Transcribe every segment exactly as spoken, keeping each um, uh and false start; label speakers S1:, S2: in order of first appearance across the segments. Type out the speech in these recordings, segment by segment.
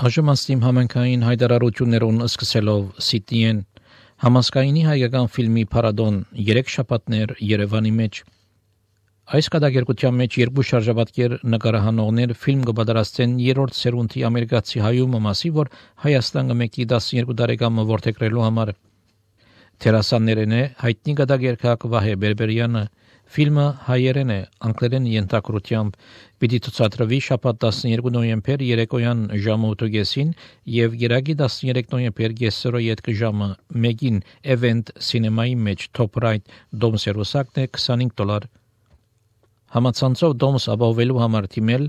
S1: Այժմ համենքային հայտարարություններուն սկսելով Սիդնիեն համասկայնի հայկական ֆիլմի փառատոն երեք շաբաթներ Երևանի մեջ։ Այս կատակերգության մեջ երկու շարժաբատկեր նկարահանողներ ֆիլմ կպատրաստեն երրորդ սերունդի ամերիկացի հայումը մասի, որ Հայաստան կմեկի տասներկու տարեկան որդեգրելու համար։ Թերասաններն է հայտնի կատակերգակ Վահե Բերբերյանը, ֆիլմը հայերեն է, անգլերեն ենթագրությամբ, պիտի ցուցադրվի շաբաթ տասներկու նոյեմբեր երեկոյան ժամը ութ եւ գիրակի տասներեք նոյեմբեր գեսորո յետք ժամը մեկին Event Cinema-ի մեջ Top Right Դոմս երուսակն է քսանհինգ դոլար։ Համացանցով Դոմս ապահովելու համար թիմել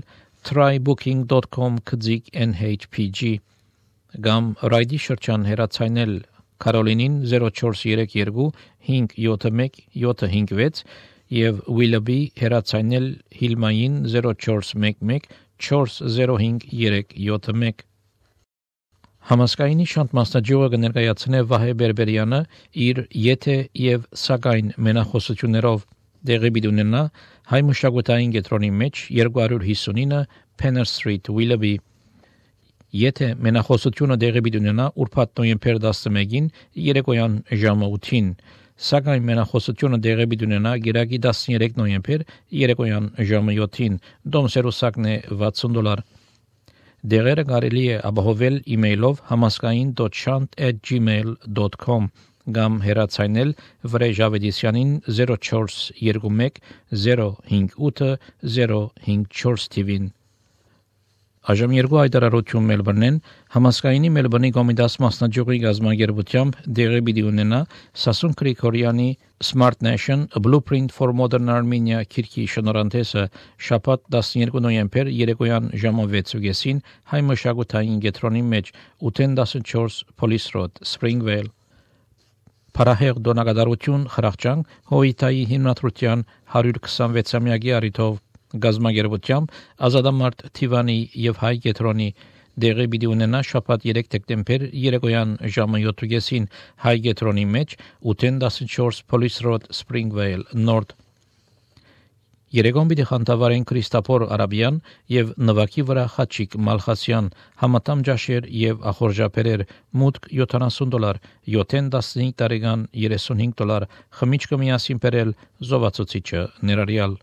S1: try booking dot com քզիկ N H P G կամ Ռայդի շրջան հեռացայնել Կարոլինին zero four three two five seven one seven five six եւ Willoughby հեռացայնել Հիլմային zero four one one four zero five three seven one։ Համասկայնի շանտ մասնաճյուղը կներկայացնե Վահե Բերբերյանը իր եթե եւ սակայն մենախոսություններով դեղի բիդունենա հայ մշակութային կենտրոնի մեջ two fifty-nine Penner Street Willoughby։ Եթե մենախոսությունը դեղի բիդունենա ուրբաթ նոյեմբեր տասնմեկին երեկոյան ժամը ութին, սակայն մենախոսությունը դեղի բիդունենա գիրակի տասներեք նոյեմբեր երեկոյան ժամը յոթին, Դոմս երուսակն է վաթսուն դոլար։ Դեղերը կարելի է ապահովել իմեյլով համասկային dot shant at gmail dot com կամ հեռացայնել Վրեժ Ավետիսյանին zero four two one zero five eight zero five four թիվին։ Այժմ երկու հայտարարություն Մելբուրնեն համասկայնի Մելբուրնի Կոմիտաս մասնաճյուղի գազագերբությամբ դեղի պիտի ունենա Սասուն Գրիգորյանի Smart Nation A Blueprint for Modern Armenia քիրքի շնորհանդեսը շաբաթ տասներկու նոյեմբեր երեկոյան ժամը վեցին հայ մշակութային կենտրոնի մեջ eight fourteen Police Road Springvale։ Փարահեղ դոնակատարություն խրախճան Հոյիտայի հիմնադրության one hundred twenty-six-ամյակի առիթով գազագերբությամբ Ազատամարտ Թիվանի եւ հայ կենտրոնի դեղի պիտի ունենա շաբաթ երեք դեկտեմբեր երեկոյան ժամը յոթին հայ կենտրոնի մեջ eight fourteen Police Road Springvale North։ Երեկոն պիտի խանդավառեն Քրիստոֆոր Արաբյան եւ նվակի վրա Խաչիկ Մալխասյան, համատամ ջաշեր եւ ախորժապերեր, մուտք seventy դոլար, յոթին տասնհինգ տարեկան thirty-five դոլար, խմիչքը միասին բերել զովացուցիչը ներառյալ։